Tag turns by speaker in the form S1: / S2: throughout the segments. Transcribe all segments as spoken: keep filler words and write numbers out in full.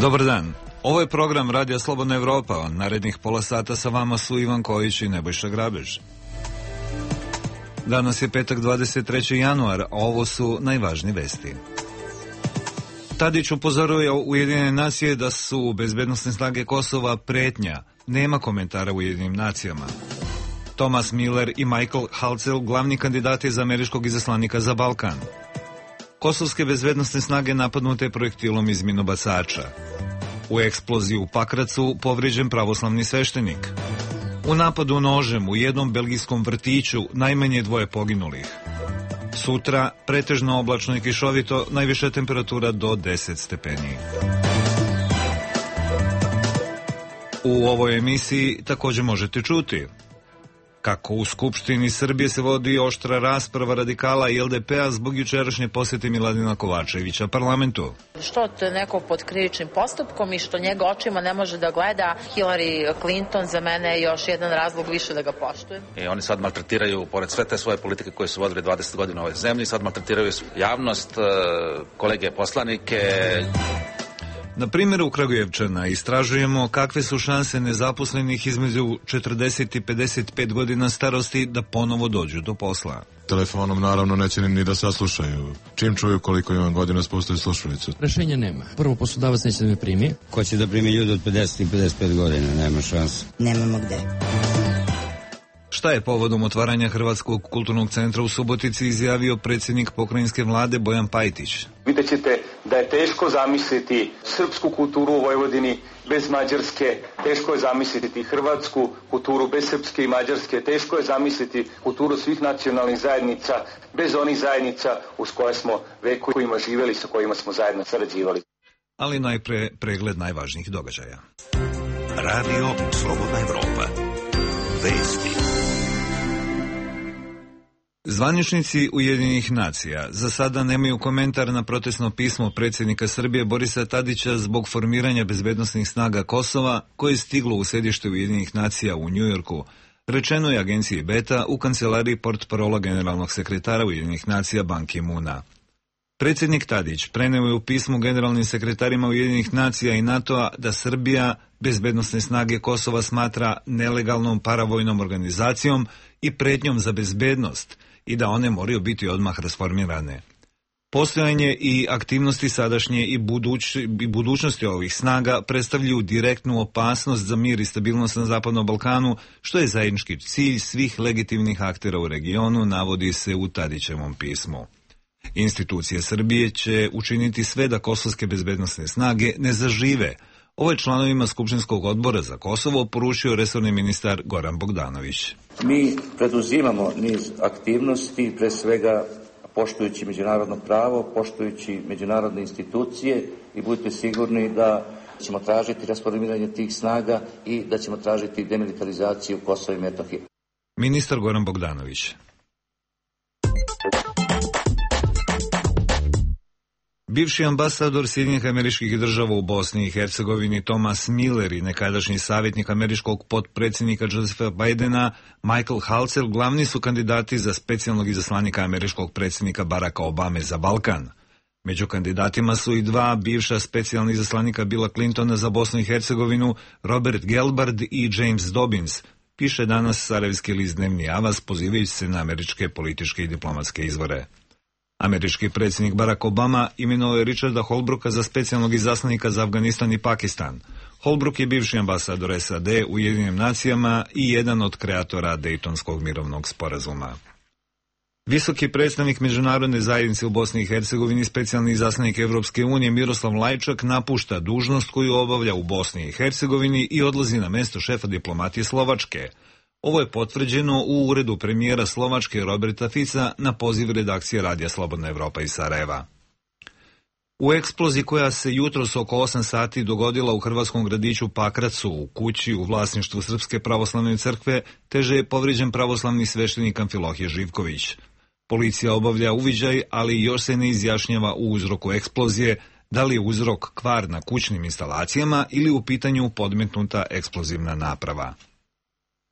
S1: Dobar dan. Ovo je program Radija Slobodna Evropa. Narednih pola sata sa vama su Ivan Kojić i Nebojša Grabež. Danas je petak dvadeset treći januar, a ovo su najvažnije vesti. Tadić upozoruje Ujedinjene nacije da su bezbednosne snage Kosova pretnja. Nema komentara u Ujedinjenim nacijama. Thomas Miller i Michael Halcel, glavni kandidati za američkog izaslanika za Balkan. Kosovske bezbednosne snage napadnute projektilom iz minobacača. U eksploziji u Pakracu povrijeđen pravoslavni sveštenik. U napadu nožem u jednom belgijskom vrtiću najmanje dvoje poginulih. Sutra pretežno oblačno i kišovito, najviša temperatura do deset stepeni. U ovoj emisiji također možete čuti kako u Skupštini Srbije se vodi oštra rasprava radikala i el de pe a zbog jučerašnje posjete Miladina Kovačevića parlamentu.
S2: Što to je neko pod krivičnim postupkom i što njega očima ne može da gleda Hillary Clinton, za mene je još jedan razlog više da ga poštujem.
S3: I oni sad maltretiraju, pored sve te svoje politike koje su vodili dvadeset godina u ovoj zemlji, sad maltretiraju javnost, kolege poslanike.
S1: Na primjeru Kragujevčana istražujemo kakve su šanse nezaposlenih između četrdeset i pedeset pet godina starosti da ponovo dođu do posla.
S4: Telefonom naravno neće ni da saslušaju. Čim čuju koliko imam godina spustaju slušalicu.
S5: Rešenja nema. Prvo, poslodavac neće da me primi.
S6: Ko će da primi ljudi od pedeset i pedeset pet godina? Nema šanse.
S7: Nemamo gde.
S1: Šta je povodom otvaranja Hrvatskog kulturnog centra u Subotici izjavio predsjednik pokrajinske vlade Bojan Pajtić?
S8: Vidjet ćete da je teško zamisliti srpsku kulturu u Vojvodini bez Mađarske, teško je zamisliti hrvatsku kulturu bez srpske i mađarske, teško je zamisliti kulturu svih nacionalnih zajednica bez onih zajednica uz koje smo vekovima živjeli, sa kojima smo zajedno sarađivali.
S1: Ali najpre pregled najvažnijih događaja.
S9: Radio Slobodna Evropa. Vesti.
S1: Zvaničnici Ujedinjenih nacija za sada nemaju komentar na protestno pismo predsjednika Srbije Borisa Tadića zbog formiranja bezbednosnih snaga Kosova koje je stiglo u sedište Ujedinjenih nacija u Njujorku, rečeno je agenciji Beta u kancelariji portparola generalnog sekretara Ujedinjenih nacija Ban Ki-moona. Predsjednik Tadić preneo je u pismu generalnim sekretarima Ujedinjenih nacija i NATO-a da Srbija bezbednosne snage Kosova smatra nelegalnom paravojnom organizacijom i pretnjom za bezbednost i da one moraju biti odmah rasformirane. Postojanje i aktivnosti sadašnje i, buduć, i budućnosti ovih snaga predstavljaju direktnu opasnost za mir i stabilnost na Zapadnom Balkanu, što je zajednički cilj svih legitimnih aktera u regionu, navodi se u Tadićevom pismu. Institucije Srbije će učiniti sve da kosovske bezbednosne snage ne zažive. Ovo je članovima Skupštinskog odbora za Kosovo poručio resorni ministar Goran Bogdanović.
S10: Mi preduzimamo niz aktivnosti, pre svega poštujući međunarodno pravo, poštujući međunarodne institucije i budite sigurni da ćemo tražiti rasformiranje tih snaga i da ćemo tražiti demilitarizaciju Kosova i Metohije.
S1: Ministar Goran Bogdanović. Bivši ambasador Sjedinjenih Američkih Država u Bosni i Hercegovini Thomas Miller i nekadašnji savjetnik američkog potpredsjednika Josepha Bidena Michael Halcel glavni su kandidati za specijalnog izaslanika američkog predsjednika Baracka Obame za Balkan. Među kandidatima su i dva bivša specijalna izaslanika Billa Clintona za Bosnu i Hercegovinu, Robert Gelbard i James Dobbins, piše danas sarajevski list Dnevni Avaz pozivajući se na američke političke i diplomatske izvore. Američki predsjednik Barack Obama imenovao je Richarda Holbrooka za specijalnog izaslanika za Afganistan i Pakistan. Holbrook je bivši ambasador es a de u Ujedinjenim nacijama i jedan od kreatora Dejtonskog mirovnog sporazuma. Visoki predstavnik međunarodne zajednice u Bosni i Hercegovini, specijalni izaslanik Evropske unije Miroslav Lajčak napušta dužnost koju obavlja u Bosni i Hercegovini i odlazi na mesto šefa diplomatije Slovačke. Ovo je potvrđeno u uredu premijera Slovačke Roberta Fica na poziv redakcije Radija Slobodna Evropa iz Sarajeva. U eksploziji koja se jutros oko osam sati dogodila u hrvatskom gradiću Pakracu u kući u vlasništvu Srpske pravoslavne crkve teže je povrijeđen pravoslavni sveštenik Amfilohije Živković. Policija obavlja uviđaj, ali još se ne izjašnjava u uzroku eksplozije, da li je uzrok kvar na kućnim instalacijama ili u pitanju podmetnuta eksplozivna naprava.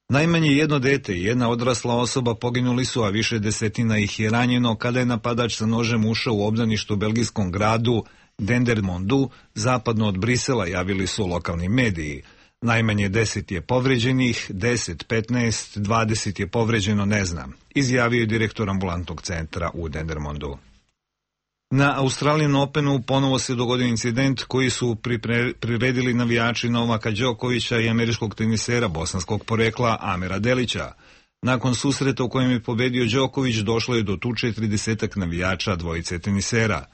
S1: Najmanje jedno dete i jedna odrasla osoba poginuli su, a više desetina ih je ranjeno kada je napadač sa nožem ušao u obdaništu u belgijskom gradu Dendermondu, zapadno od Brisela, javili su lokalni mediji. Najmanje deset je povređenih, deset, petnaest, dvadeset je povređeno, ne znam, izjavio je direktor ambulantnog centra u Dendermondu. Na Australian Openu ponovo se dogodio incident koji su priredili navijači Novaka Đokovića i američkog tenisera bosanskog porekla Amera Delića. Nakon susreta u kojem je pobedio Đoković, došlo je do tuče tridesetak navijača dvojice tenisera.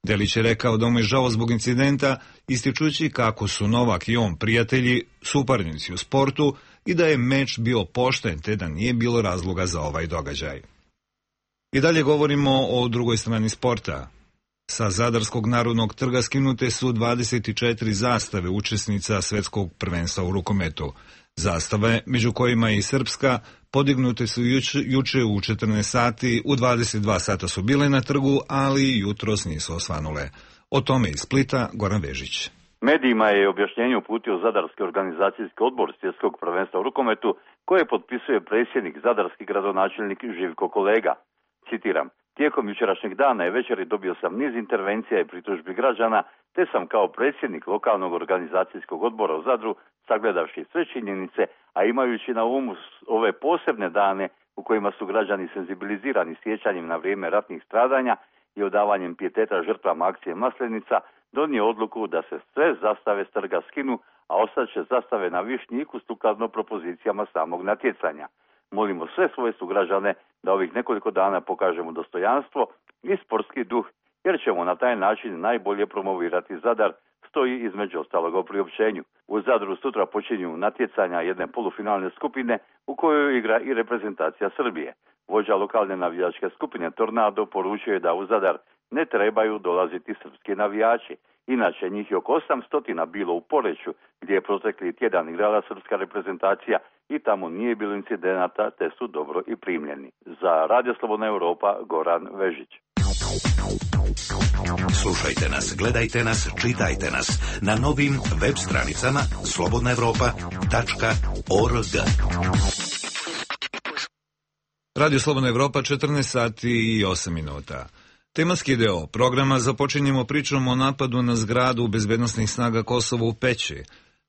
S1: Delić je rekao da mu je žao zbog incidenta, ističući kako su Novak i on prijatelji, suparnici u sportu i da je meč bio pošten, te da nije bilo razloga za ovaj događaj. I dalje govorimo o drugoj strani sporta. Sa Zadarskog narodnog trga skinute su dvadeset četiri zastave učesnica svetskog prvenstva u rukometu. Zastave, među kojima je i srpska, podignute su juče, juče u četrnaest sati, u dvadeset dva sata su bile na trgu, ali jutros nisu osvanule. O tome iz Splita Goran Vežić.
S7: Medijima je objašnjenje uputio Zadarski organizacijski odbor svjetskog prvenstva u rukometu, koje potpisuje predsjednik zadarski gradonačelnik Živko Kolega. Citiram: tijekom jučerašnjeg dana i večeri dobio sam niz intervencija i pritužbi građana, te sam kao predsjednik lokalnog organizacijskog odbora u Zadru, sagledavši sve činjenice, a imajući na umu ove posebne dane u kojima su građani senzibilizirani sjećanjem na vrijeme ratnih stradanja i odavanjem pijeteta žrtvama akcije Maslenica, donio odluku da se sve zastave s trga skinu, a ostaće zastave na Višnjiku sukladno propozicijama samog natjecanja. Molimo sve svoje sugrađane da ovih nekoliko dana pokažemo dostojanstvo i sportski duh, jer ćemo na taj način najbolje promovirati Zadar, stoji između ostalog u priopćenju. U Zadru sutra počinju natjecanja jedne polufinalne skupine u kojoj igra i reprezentacija Srbije. Vođa lokalne navijačke skupine Tornado poručuje da u Zadar ne trebaju dolaziti srpski navijači. Inače, njih je oko osamsto bilo u Poreču, gdje je protekli tjedan igrala srpska reprezentacija i tamo nije bilo incidenata, te su dobro i primljeni. Za Radio Slobodna Europa, Goran Vežić.
S9: Slušajte nas, gledajte nas, čitajte nas na novim web stranicama slobodna evropa tačka org.
S1: Radio Slobodna Evropa, četrnaest sati i osam minuta. Tematski deo programa započinjemo pričom o napadu na zgradu bezbednosnih snaga Kosova u Peći.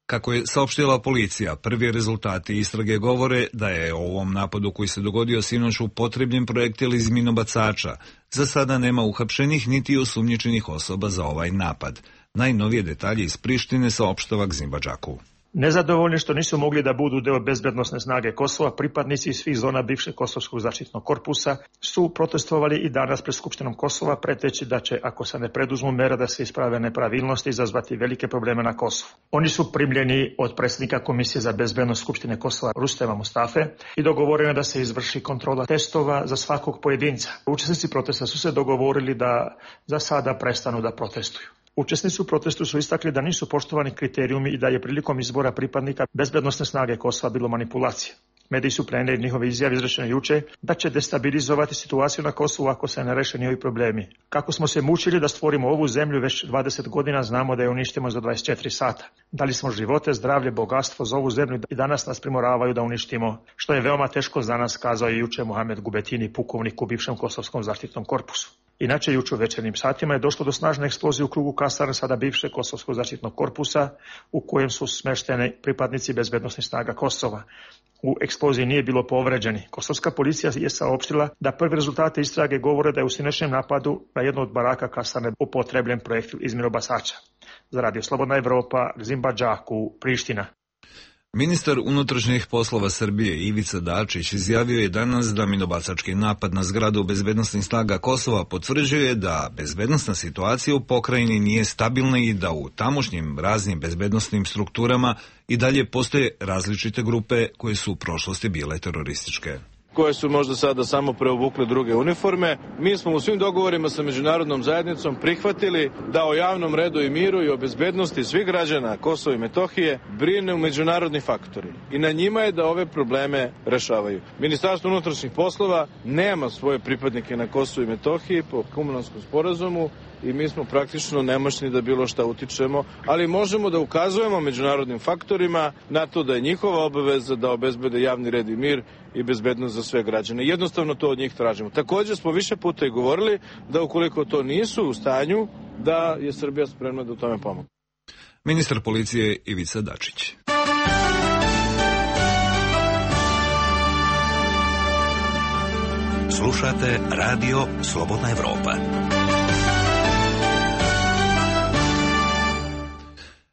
S1: Kako je saopštila policija, prvi rezultati istrage govore da je o ovom napadu koji se dogodio sinoć upotrebljen projektil iz minobacača. Za sada nema uhapšenih niti osumnjičenih osoba za ovaj napad. Najnovije detalje iz Prištine saopštava Gzimba Džaku.
S11: Nezadovoljni što nisu mogli da budu deo bezbednosne snage Kosova, pripadnici svih zona bivšeg Kosovskog zaštitnog korpusa su protestovali i danas pred Skupštinom Kosova, preteći da će, ako se ne preduzmu mere da se isprave nepravilnosti, izazvati velike probleme na Kosovu. Oni su primljeni od predsjednika Komisije za bezbednost Skupštine Kosova Rustema Mustafe i dogovoreno da se izvrši kontrola testova za svakog pojedinca. Učesnici protesta su se dogovorili da za sada prestanu da protestuju. Učesnici u protestu su istakli da nisu poštovani kriterijumi i da je prilikom izbora pripadnika bezbednosne snage Kosova bilo manipulacije. Mediji su prenijeli njihove izjave izrečene juče da će destabilizovati situaciju na Kosovu ako se ne reše njihovi problemi. Kako smo se mučili da stvorimo ovu zemlju već dvadeset godina, znamo da je uništimo za dvadeset četiri sata. Dali smo živote, zdravlje, bogatstvo za ovu zemlju i danas nas primoravaju da uništimo, što je veoma teško za nas, kazao je juče Mohamed Gubetini, pukovnik u bivšem Kosovskom zaštitnom korpusu. Inače, juče u večernjim satima je došlo do snažne eksplozije u krugu kasarne sada bivšeg Kosovskog zaštitnog korpusa, u kojem su smešteni pripadnici bezbednosnih snaga Kosova. U eksploziji nije bilo povređeni. Kosovska policija je saopštila da prvi rezultate istrage govore da je u sinoćnjem napadu na jednu od baraka kasarne upotrebljen projektil iz minobacača. Za Radio Slobodna Evropa, Gzimba Džaku, Priština.
S1: Ministar unutrašnjih poslova Srbije Ivica Dačić izjavio je danas da minobacački napad na zgradu bezbednosnih snaga Kosova potvrđuje da bezbednosna situacija u pokrajini nije stabilna i da u tamošnjim raznim bezbednosnim strukturama i dalje postoje različite grupe koje su u prošlosti bile terorističke,
S12: koje su možda sada samo preobukle druge uniforme. Mi smo u svim dogovorima sa međunarodnom zajednicom prihvatili da o javnom redu i miru i o bezbednosti svih građana Kosova i Metohije brine međunarodni faktori. I na njima je da ove probleme rešavaju. Ministarstvo unutrašnjih poslova nema svoje pripadnike na Kosovu i Metohiji po Kumulanskom sporazumu i mi smo praktično nemoćni da bilo šta utičemo, ali možemo da ukazujemo međunarodnim faktorima na to da je njihova obaveza da obezbede javni red i mir i bezbednost za sve građane. Jednostavno to od njih tražimo. Također smo više puta i govorili da ukoliko to nisu u stanju, da je Srbija spremna da u tome pomogne.
S1: Ministar policije Ivica Dačić.
S9: Slušate Radio Slobodna Evropa.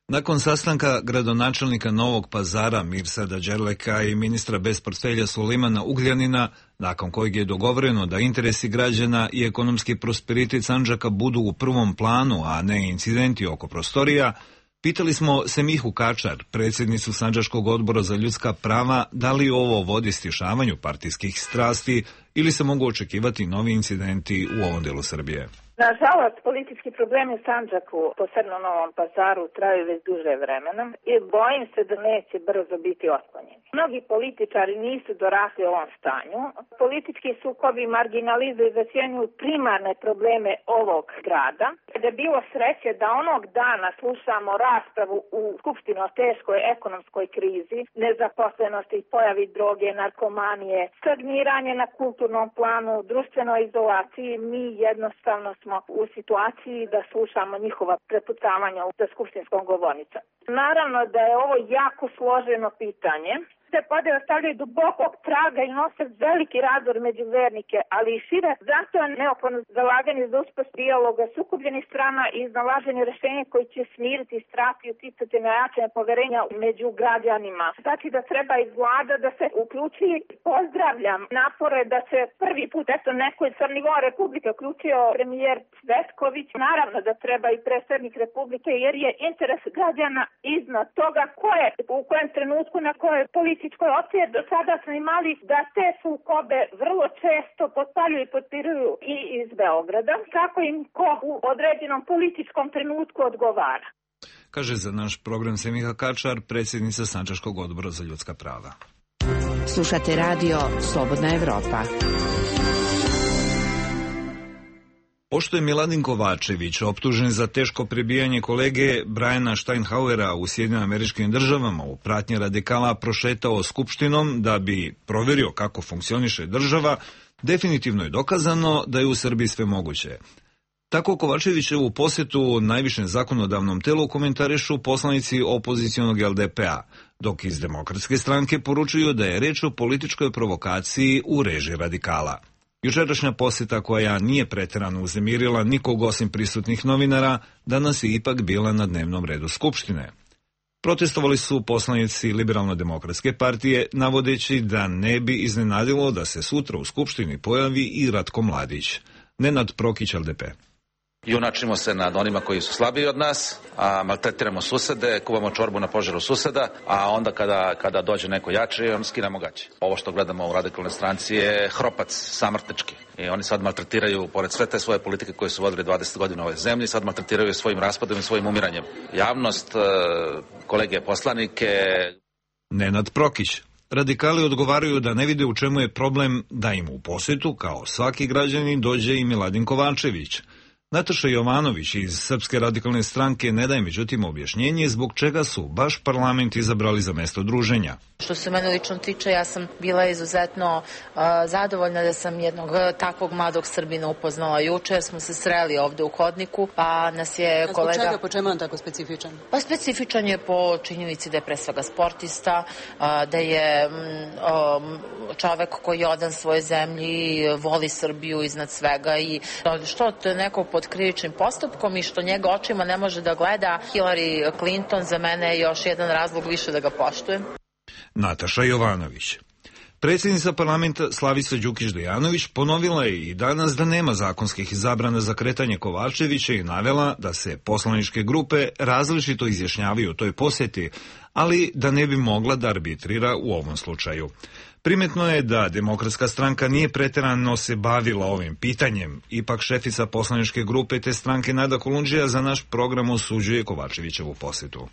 S1: Nakon sastanka gradonačelnika Novog Pazara Mirsada Đerleka i ministra bez portfelja Sulimana Ugljanina, nakon kojeg je dogovoreno da interesi građana i ekonomski prosperitet Sandžaka budu u prvom planu, a ne incidenti oko prostorija, pitali smo Semihu Kačar, predsjednicu Sandžačkog odbora za ljudska prava, da li ovo vodi stišavanju partijskih strasti ili se mogu očekivati novi incidenti u ovom delu Srbije.
S13: Nažalost, politički problemi u Sandžaku, posebno u Novom Pazaru, traju već duže vremena i bojim se da neće brzo biti otklonjeni. Mnogi političari nisu dorasli ovom stanju. Politički sukobi marginalizuju i zasjenjuju primarne probleme ovog grada. Da je bilo sreće da onog dana slušamo raspravu u Skupštini o teškoj ekonomskoj krizi, nezaposlenosti, pojavi droge, narkomanije, stagniranje na kulturnom planu, društvenoj izolaciji, mi jednostavno smo u situaciji da slušamo njihova prepucavanja za skupštinskom govornicom. Naravno da je ovo jako složeno pitanje. Te podjele ostavljaju dubokog traga i nose veliki razdor među vernike, ali i šire. Zato je neophodno zalaganje za uspostavu dijaloga sukobljenih strana i iznalaženje rešenja koji će smiriti strah i uticati na jačanje poverenja među građanima. Znači da treba i vlada da se uključi. Pozdravljam napore da se prvi put eto neko iz nivoa Republike uključio premijer Cvetković. Naravno da treba i predsjednik Republike jer je interes građana iznad toga ko je u kojem trenutku na kojoj politici opcije do sada smo imali da te sukobe vrlo često potpaljuju i potpiruju i iz Beograda, kako im ko u određenom političkom trenutku odgovara.
S1: Kaže za naš program Semiha Kačar, predsjednica Sandžačkog odbora za ljudska prava.
S14: Slušate radio Slobodna Evropa.
S1: Pošto je Miladin Kovačević optužen za teško prebijanje kolege Briana Steinhauera u Sjedinjenim Američkim Državama u pratnji radikala prošetao skupštinom da bi proverio kako funkcioniše država, definitivno je dokazano da je u Srbiji sve moguće. Tako Kovačevićevu posjetu najvišem zakonodavnom telu komentarišu poslanici opozicionog L D P a, dok iz Demokratske stranke poručuju da je reč o političkoj provokaciji u režiji radikala. Jučerašnja posjeta koja nije pretjerano uznemirila nikog osim prisutnih novinara, danas je ipak bila na dnevnom redu Skupštine. Protestovali su poslanici Liberalno-demokratske partije, navodeći da ne bi iznenadilo da se sutra u Skupštini pojavi i Ratko Mladić. Nenad Prokić, L D P.
S3: Junačimo se nad onima koji su slabiji od nas, a maltretiramo susede, kuvamo čorbu na požaru suseda, a onda kada, kada dođe neko jači, on skinamo gaće. Ovo što gledamo u radikalnoj stranci je hropac samrtnički. I oni sad maltretiraju, pored sve te svoje politike koje su vodili dvadeset godina u ovoj zemlji, sad maltretiraju svojim raspadom i svojim umiranjem. Javnost, kolege poslanike...
S1: Nenad Prokić. Radikali odgovaraju da ne vide u čemu je problem da im u posjetu, kao svaki građanin, dođe i Miladin Kovačević. Nataša Jovanović iz Srpske radikalne stranke ne daje međutim objašnjenje zbog čega su baš parlament izabrali za mesto druženja.
S2: Što se mene lično tiče, ja sam bila izuzetno uh, zadovoljna da sam jednog takvog mladog Srbina upoznala juče, jer smo se sreli ovde u hodniku, pa nas je
S15: A
S2: kolega...
S15: Zbog čega, po čemu on tako specifičan?
S2: Pa specifičan je po činjenici da je pre svega sportista, uh, da je um, čovek koji je odan svoje zemlji, voli Srbiju iznad svega i što od nekog pod krivičnim postupkom i što njega očima ne može da gleda Hillary Clinton, za mene je još jedan razlog više da ga poštujem.
S1: Nataša Jovanović. Predsjednica parlamenta Slavica Đukić-Dejanović ponovila je i danas da nema zakonskih zabrana za kretanje Kovačevića i navela da se poslaničke grupe različito izjašnjavaju o toj posjeti, ali da ne bi mogla da arbitrira u ovom slučaju. Primetno je da Demokratska stranka nije pretjerano se bavila ovim pitanjem. Ipak šefica poslaničke grupe te stranke Nada Kolundžija za naš program osuđuje Kovačevićevu posjetu.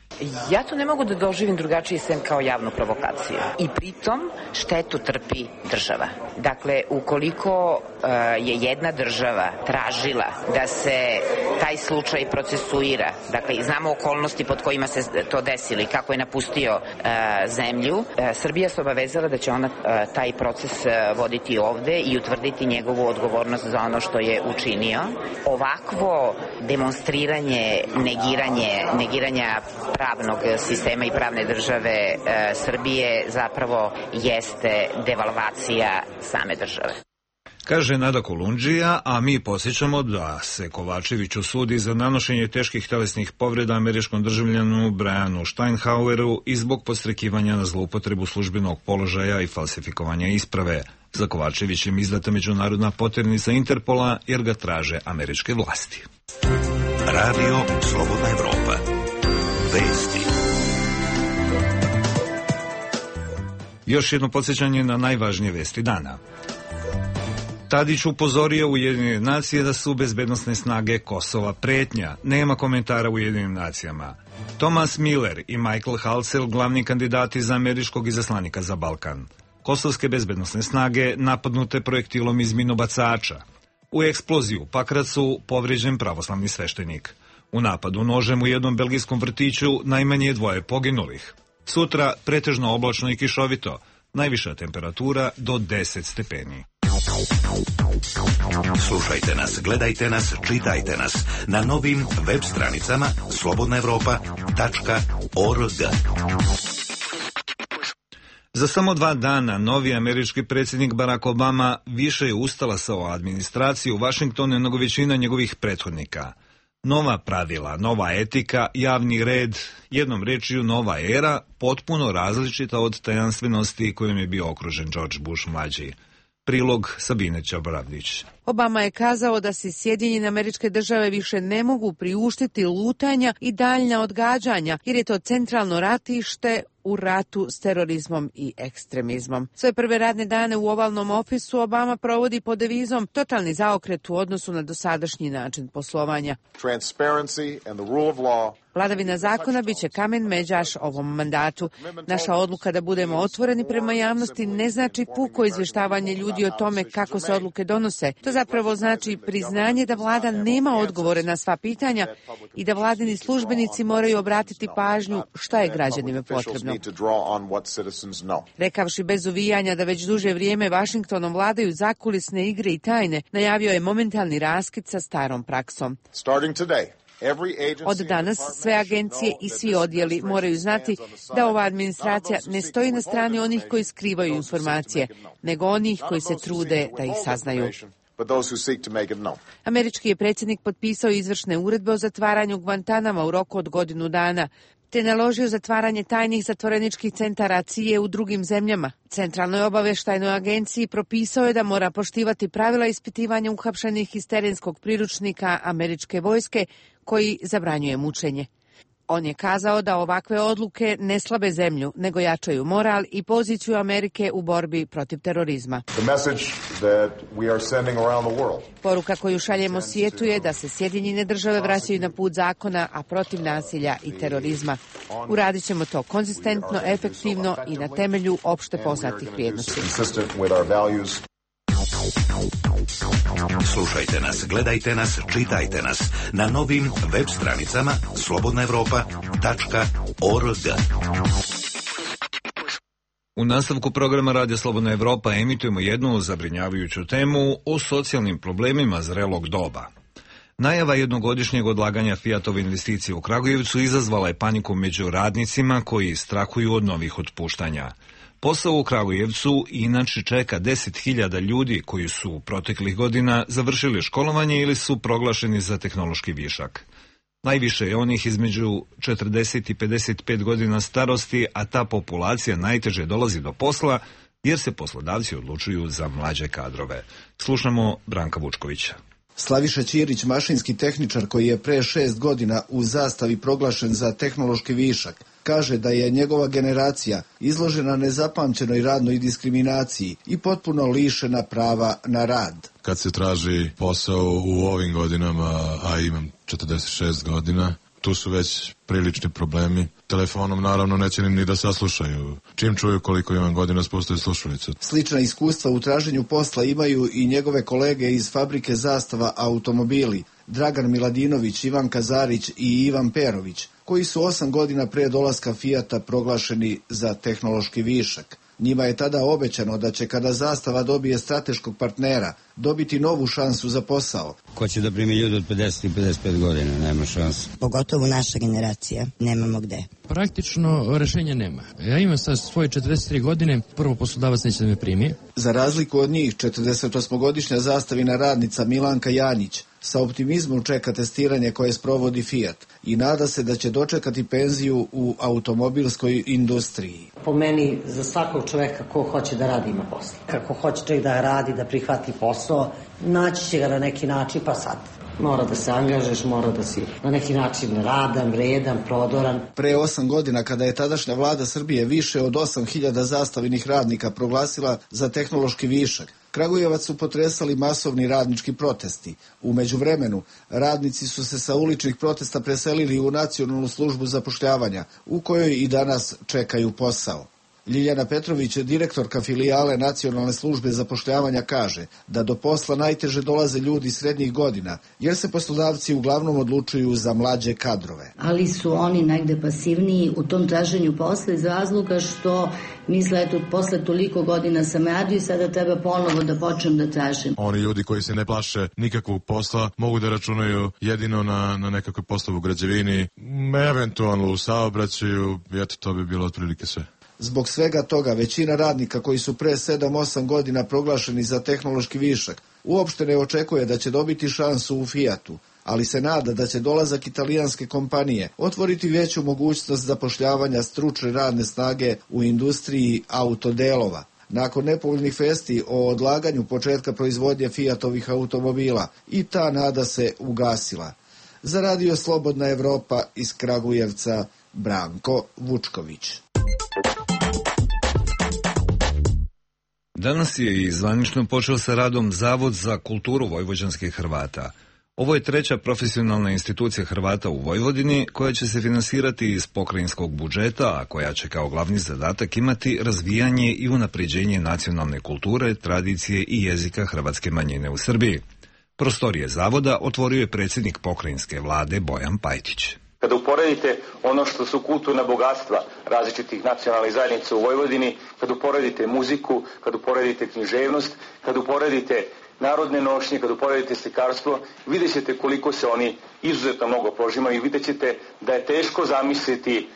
S16: Ja to ne mogu da doživim drugačije sem kao javnu provokaciju. I pritom štetu trpi država. Dakle, ukoliko uh, je jedna država tražila da se taj slučaj procesuira, dakle, znamo okolnosti pod kojima se to desilo i kako je napustio uh, zemlju, uh, Srbija se obavezala da će ona taj proces voditi ovde i utvrditi njegovu odgovornost za ono što je učinio. Ovakvo demonstriranje, negiranje, negiranja pravnog sistema i pravne države Srbije zapravo jeste devalvacija same države.
S1: Kaže Nada Kolundžija, a mi podsjećamo da se Kovačević osudi za nanošenje teških telesnih povreda američkom državljanu Brianu Steinhaueru i zbog podstrekivanja na zloupotrebu službenog položaja i falsifikovanja isprave. Za Kovačevićem izdata međunarodna poternica Interpola jer ga traže američke vlasti.
S9: Radio Slobodna Evropa. Vesti.
S1: Još jedno podsjećanje na najvažnije vesti dana. Tadić upozorio Ujedinjene nacije da su bezbednosne snage Kosova pretnja. Nema komentara u Ujedinjenim nacijama. Thomas Miller i Michael Halsell, glavni kandidati za američkog izaslanika za Balkan. Kosovske bezbednosne snage napadnute projektilom iz minobacača. U eksploziju u Pakracu povrijeđen pravoslavni sveštenik. U napadu nožem u jednom belgijskom vrtiću najmanje dvoje poginulih. Sutra pretežno oblačno i kišovito. Najviša temperatura do deset stepeni.
S9: Slušajte nas, gledajte nas, čitajte nas na novim web stranicama slobodna evropa tačka org.
S1: Za samo dva dana novi američki predsjednik Barack Obama više je ustalasao administraciju u Vašingtonu nego većina njegovih prethodnika. Nova pravila, nova etika, javni red, jednom rečju nova era, potpuno različita od tajanstvenosti kojom je bio okružen George Bush mlađi. Prilog Sabine Ćoboravdić.
S15: Obama je kazao da se Sjedinjene Američke Države više ne mogu priuštiti lutanja i daljnja odgađanja, jer je to centralno ratište u ratu s terorizmom i ekstremizmom. Svoje prve radne dane u ovalnom ofisu Obama provodi pod devizom totalni zaokret u odnosu na dosadašnji način poslovanja. Vladavina zakona biće kamen međaš ovom mandatu. Naša odluka da budemo otvoreni prema javnosti ne znači puko izvještavanje ljudi o tome kako se odluke donose. To zapravo znači priznanje da vlada nema odgovore na sva pitanja i da vladini službenici moraju obratiti pažnju šta je građanima potrebno. Rekavši bez uvijanja da već duže vrijeme Vašingtonom vladaju zakulisne igre i tajne, najavio je momentalni raskid sa starom praksom. Od danas sve agencije i svi odjeli moraju znati da ova administracija ne stoji na strani onih koji skrivaju informacije, nego onih koji se trude da ih saznaju. Američki je predsjednik potpisao izvršne uredbe o zatvaranju Guantanama u roku od godinu dana, te naložio zatvaranje tajnih zatvoreničkih centara C I A u drugim zemljama. Centralnoj obavještajnoj agenciji propisao je da mora poštivati pravila ispitivanja uhapšenih iz terenskog priručnika američke vojske koji zabranjuje mučenje. On je kazao da ovakve odluke ne slabe zemlju, nego jačaju moral i poziciju Amerike u borbi protiv terorizma. Poruka koju šaljemo svijetu je da se Sjedinjene Države vraćaju na put zakona, a protiv nasilja i terorizma. Uradit ćemo to konzistentno, efektivno i na temelju opšte poznatih vrijednosti.
S9: Slušajte nas, gledajte nas, čitajte nas na novim web stranicama slobodna evropa tačka org.
S1: U nastavku programa Radija Slobodna Evropa emitujemo jednu zabrinjavajuću temu o socijalnim problemima zrelog doba. Najava jednogodišnjeg odlaganja Fiatove investicije u Kragujevcu izazvala je paniku među radnicima koji strahuju od novih otpuštanja. Posao u Kragujevcu inače čeka deset hiljada ljudi koji su proteklih godina završili školovanje ili su proglašeni za tehnološki višak. Najviše je onih između četrdeset i pedeset pet godina starosti, a ta populacija najteže dolazi do posla jer se poslodavci odlučuju za mlađe kadrove. Slušamo Branka Vučkovića.
S17: Slaviša Ćirić, mašinski tehničar koji je pre šest godina u Zastavi proglašen za tehnološki višak, kaže da je njegova generacija izložena nezapamćenoj radnoj diskriminaciji i potpuno lišena prava na rad.
S4: Kad se traži posao u ovim godinama, a imam četrdeset šest godina, tu su već prilični problemi. Telefonom naravno neće ni da saslušaju. Čim čuju koliko imam godina, spustaju slušalicu.
S17: Slična iskustva u traženju posla imaju i njegove kolege iz fabrike Zastava automobili, Dragan Miladinović, Ivan Kazarić i Ivan Perović, koji su osam godina pre dolaska Fijata proglašeni za tehnološki višak. Njima je tada obećano da će kada Zastava dobije strateškog partnera dobiti novu šansu za posao.
S6: Ko će da primi ljudi od pedeset i pedeset pet godina, nema šanse.
S18: Pogotovo naša generacija, nemamo gde.
S5: Praktično rešenja nema. Ja imam sad svoje četrdeset tri godine, prvo poslodavac neće da me primi.
S17: Za razliku od njih, četrdesetosmogodišnja Zastavina radnica Milanka Janjić sa optimizmom čeka testiranje koje sprovodi Fiat i nada se da će dočekati penziju u automobilskoj industriji.
S19: Po meni, za svakog čoveka ko hoće da radi ima posla. Kako hoće čovjek da radi, da prihvati posao, naći će ga na neki način, pa sad mora da se angažeš, mora da si na neki način radan, vredan, prodoran.
S17: Pre osam godina, kada je tadašnja vlada Srbije više od osam hiljada zastavinih radnika proglasila za tehnološki višak, Kragujevac su potresali masovni radnički protesti. U međuvremenu, radnici su se sa uličnih protesta preselili u Nacionalnu službu zapošljavanja, u kojoj i danas čekaju posao. Ljiljana Petrović, direktorka filijale Nacionalne službe zapošljavanja, kaže da do posla najteže dolaze ljudi srednjih godina, jer se poslodavci uglavnom odlučuju za mlađe kadrove.
S20: Ali su oni negde pasivniji u tom traženju posla iz razloga što misle, eto, posle toliko godina sam radio i sada treba ponovo da počnem da tražim.
S4: Oni ljudi koji se ne plaše nikakvog posla mogu da računaju jedino na, na nekakve poslove u građevini, eventualno u saobraćaju, eto, to bi bilo otprilike sve.
S17: Zbog svega toga, većina radnika koji su pre sedam osam godina proglašeni za tehnološki višak uopšte ne očekuje da će dobiti šansu u Fiatu, ali se nada da će dolazak italijanske kompanije otvoriti veću mogućnost zapošljavanja stručne radne snage u industriji autodelova. Nakon nepovoljnih vesti o odlaganju početka proizvodnje Fiatovih automobila, i ta nada se ugasila. Za Radio Slobodna Evropa iz Kragujevca, Branko Vučković.
S1: Danas je i zvanično počeo sa radom Zavod za kulturu vojvođanskih Hrvata. Ovo je treća profesionalna institucija Hrvata u Vojvodini koja će se finansirati iz pokrajinskog budžeta, a koja će kao glavni zadatak imati razvijanje i unapređenje nacionalne kulture, tradicije i jezika hrvatske manjine u Srbiji. Prostorije zavoda otvorio je predsjednik pokrajinske vlade Bojan Pajtić.
S8: Kada uporedite ono što su kulturna bogatstva različitih nacionalnih zajednica u Vojvodini, kada uporedite muziku, kada uporedite književnost, kada uporedite narodne nošnje, kada uporedite slikarstvo, vidjet ćete koliko se oni izuzetno mnogo prožimaju i vidjet ćete da je teško zamisliti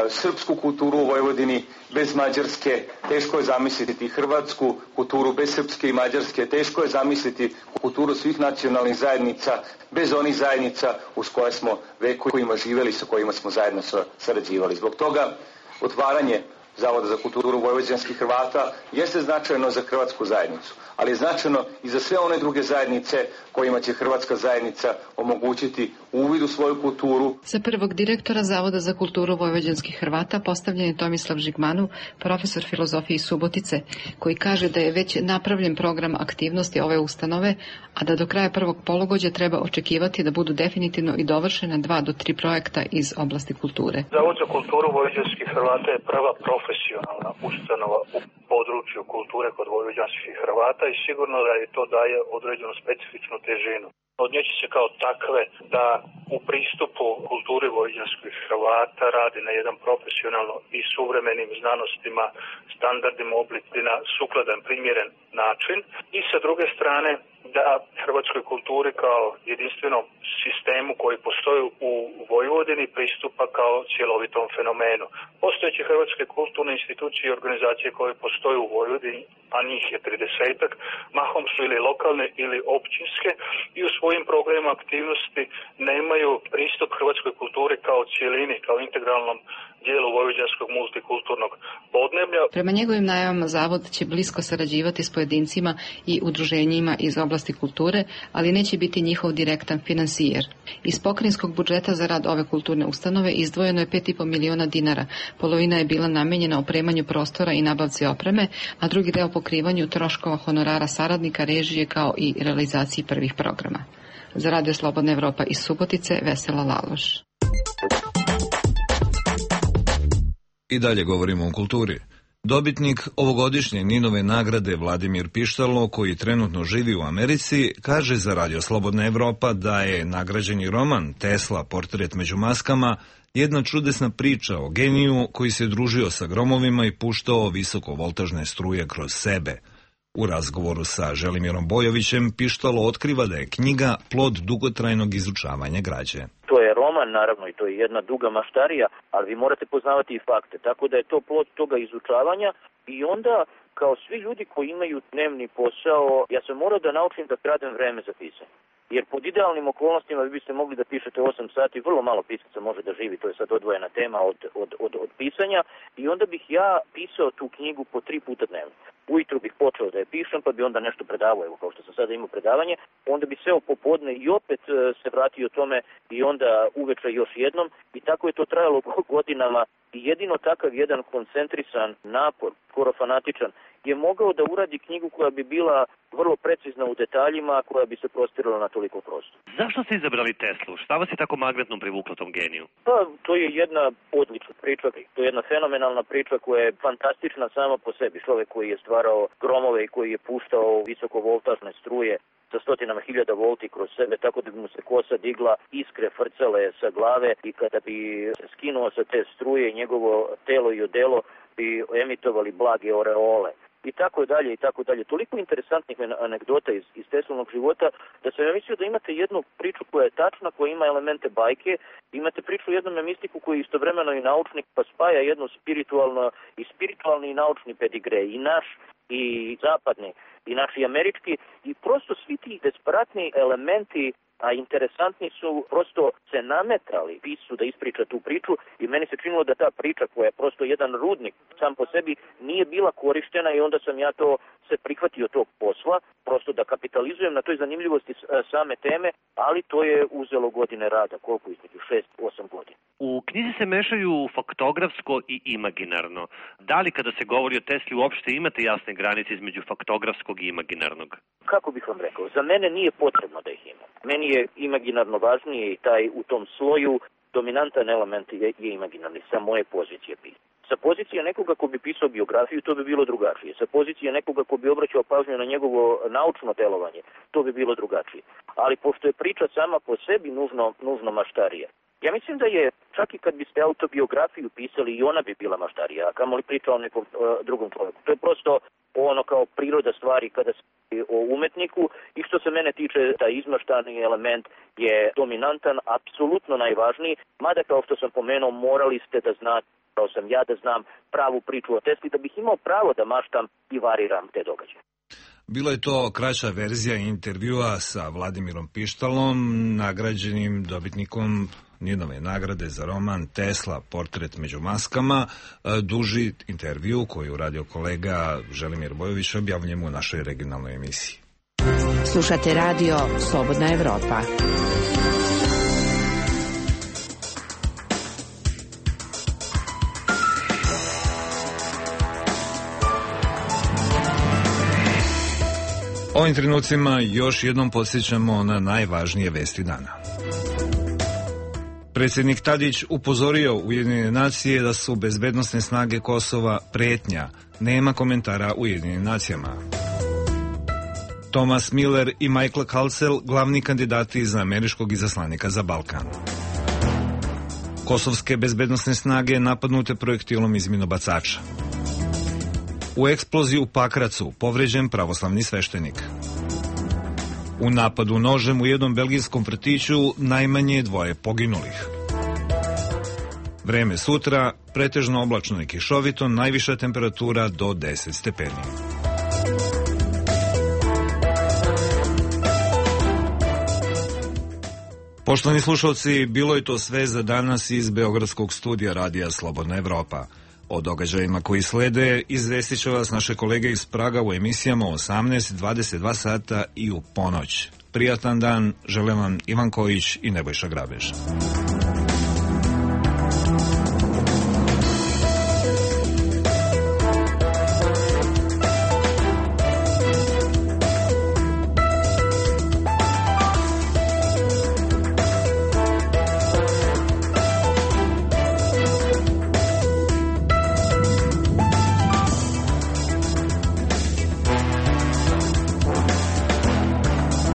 S8: srpsku kulturu u Vojvodini bez Mađarske, teško je zamisliti hrvatsku kulturu bez srpske i mađarske, teško je zamisliti kulturu svih nacionalnih zajednica bez onih zajednica uz koje smo vekovima živjeli, sa kojima smo zajedno sarađivali. Zbog toga otvaranje Zavoda za kulturu vojvođanskih Hrvata jeste značajno za hrvatsku zajednicu, ali je značajno i za sve one druge zajednice kojima će hrvatska zajednica omogućiti uvid u svoju kulturu.
S21: Za prvog direktora Zavoda za kulturu vojvođanskih Hrvata postavljen je Tomislav Žigmanov, profesor filozofije iz Subotice, koji kaže da je već napravljen program aktivnosti ove ustanove, a da do kraja prvog polugođa treba očekivati da budu definitivno i dovršena dva do tri projekta iz oblasti kulture.
S22: Zavod za kulturu vojvođanskih Hrvata je prva profesionalna ustanova u području kulture kod vojvođanskih Hrvata i sigurno da je to daje određenu specifičnu težinu. Od nje će se kao takve da u pristupu kulturi vojvođanskih Hrvata radi na jedan profesionalno i suvremenim znanostima, standardima, oblicima, sukladan, primjeren način i sa druge strane da hrvatskoj kulturi kao jedinstvenom sistemu koji postoji u Vojvodini pristupa kao cjelovitom fenomenu. Postojeće hrvatske kulturne institucije i organizacije koje postoje u Vojvodini, a njih je tridesetak, mahom su ili lokalne ili općinske i u svojim programima aktivnosti nemaju pristup hrvatskoj kulturi kao cijelini, kao integralnom dijelu vojvođanskog multikulturnog podneblja.
S21: Prema njegovim najavama Zavod će blisko sarađivati s pojedincima i udruženjima iz oblasti kulture, ali neće biti njihov direktan finansijer. Iz pokrajinskog budžeta za rad ove kulturne ustanove izdvojeno je pet i po miliona dinara. Polovina je bila namenjena opremanju prostora i nabavci opreme, a drugi deo pokrivanju troškova honorara saradnika, režije kao i realizaciji prvih programa. Za Radio Slobodna Evropa iz Subotice, Vesela Laloš.
S1: I dalje govorimo o kulturi. Dobitnik ovogodišnje Ninove nagrade Vladimir Pištalo, koji trenutno živi u Americi, kaže za Radio Slobodna Evropa da je nagrađeni roman Tesla, portret među maskama, jedna čudesna priča o geniju koji se družio sa gromovima i puštao visokovoltažne struje kroz sebe. U razgovoru sa Želimirom Bojovićem Pištalo otkriva da je knjiga plod dugotrajnog izučavanja građe.
S7: To je roman, naravno, i to je jedna duga maštarija, ali vi morate poznavati i fakte, tako da je to plod toga izučavanja i onda, kao svi ljudi koji imaju dnevni posao, ja sam morao da naučim da kradem vreme za pisanje. Jer pod idealnim okolnostima vi biste mogli da pišete osam sati, vrlo malo pisaca može da živi, to je sad odvojena tema od, od, od, od pisanja, i onda bih ja pisao tu knjigu po tri puta dnevno. Ujutru bih počeo da je pišem, pa bi onda nešto predavao, evo kao što sam sada imao predavanje, onda bi seo popodne i opet se vratio tome i onda uveče još jednom, i tako je to trajalo godinama, i jedino takav jedan koncentrisan napor, skoro fanatičan, je mogao da uradi knjigu koja bi bila vrlo precizna u detaljima, koja bi se prostirala na toliko prostora.
S10: Zašto ste izabrali Teslu? Šta vas je tako magnetno privuklo tom geniju?
S7: Pa, to je jedna odlična priča, to je jedna fenomenalna priča koja je fantastična sama po sebi. Čovek koji je stvarao gromove i koji je puštao visokovoltažne struje sa stotinama hiljada volti kroz sebe, tako da bi mu se kosa digla, iskre frcale sa glave, i kada bi se skinuo sa te struje, njegovo telo i odelo bi emitovali blage oreole. I tako dalje, i tako dalje. Toliko interesantnih anegdota iz, iz Teslinog života, da sam ja mislio da imate jednu priču koja je tačna, koja ima elemente bajke, imate priču o jednom mistiku koji je istovremeno i naučnik, pa spaja jedno spiritualno i spiritualni i naučni pedigre, i naš, i zapadni, i naš i američki, i prosto svi ti desperatni elementi, a interesantni su, prosto se nametali piscu da ispriča tu priču, i meni se činilo da ta priča, koja je prosto jedan rudnik sam po sebi, nije bila korištena, i onda sam ja to se prihvatio tog posla, prosto da kapitalizujem na toj zanimljivosti same teme, ali to je uzelo godine rada, koliko između šest osam godina.
S10: U knjizi se mešaju faktografsko i imaginarno. Da li kada se govori o Tesli uopšte imate jasne granice između faktografskog i imaginarnog?
S7: Kako bih vam rekao, za mene nije potrebno da ih ima. Meni je imaginarno važnije, i taj u tom sloju dominantan element je, je imaginarni, sa moje pozicije pisanja. Sa pozicije nekoga ko bi pisao biografiju, to bi bilo drugačije. Sa pozicije nekoga ko bi obraćao pažnju na njegovo naučno delovanje, to bi bilo drugačije. Ali pošto je priča sama po sebi nužno, nužno maštarija, ja mislim da je, čak i kad biste autobiografiju pisali, i ona bi bila maštarija, a kamoli priča o nekom uh, drugom čovjeku. To je prosto ono kao priroda stvari kada se o umetniku, i što se mene tiče, taj izmaštani element je dominantan, apsolutno najvažniji, mada kao što sam pomenuo, morali ste da znate, kao sam ja da znam pravu priču o Tesli, da bih imao pravo da maštam i variram te događaje.
S1: Bilo je to kraća verzija intervjua sa Vladimirom Pištalom, nagrađenim dobitnikom Ninove nagrade za roman Tesla, portret među maskama. Duži intervju koji je uradio kolega Želimir Bojović objavljujemo u našoj regionalnoj emisiji.
S14: Slušate radio Slobodna Evropa.
S1: Ovim trenucima još jednom podsjećamo na najvažnije vesti dana. Predsjednik Tadić upozorio Ujedinjene nacije da su bezbednosne snage Kosova pretnja. Nema komentara Ujedinjenim nacijama. Thomas Miller i Michael Halsell, glavni kandidati za američkog izaslanika za Balkan. Kosovske bezbednosne snage napadnute projektilom iz minobacača. U eksploziji u Pakracu povređen pravoslavni sveštenik. U napadu nožem u jednom belgijskom vrtiću najmanje dvoje poginulih. Vreme sutra, pretežno oblačno i kišovito, najviša temperatura do deset stepeni. Poštovani slušalci, bilo je to sve za danas iz Beogradskog studija Radija Slobodna Evropa. O događajima koji slede izvestit će vas naše kolege iz Praga u emisijama osamnaest, dvadeset dva sata i u ponoć. Prijatan dan, žele vam Ivan Kojić i Nebojša Grabež.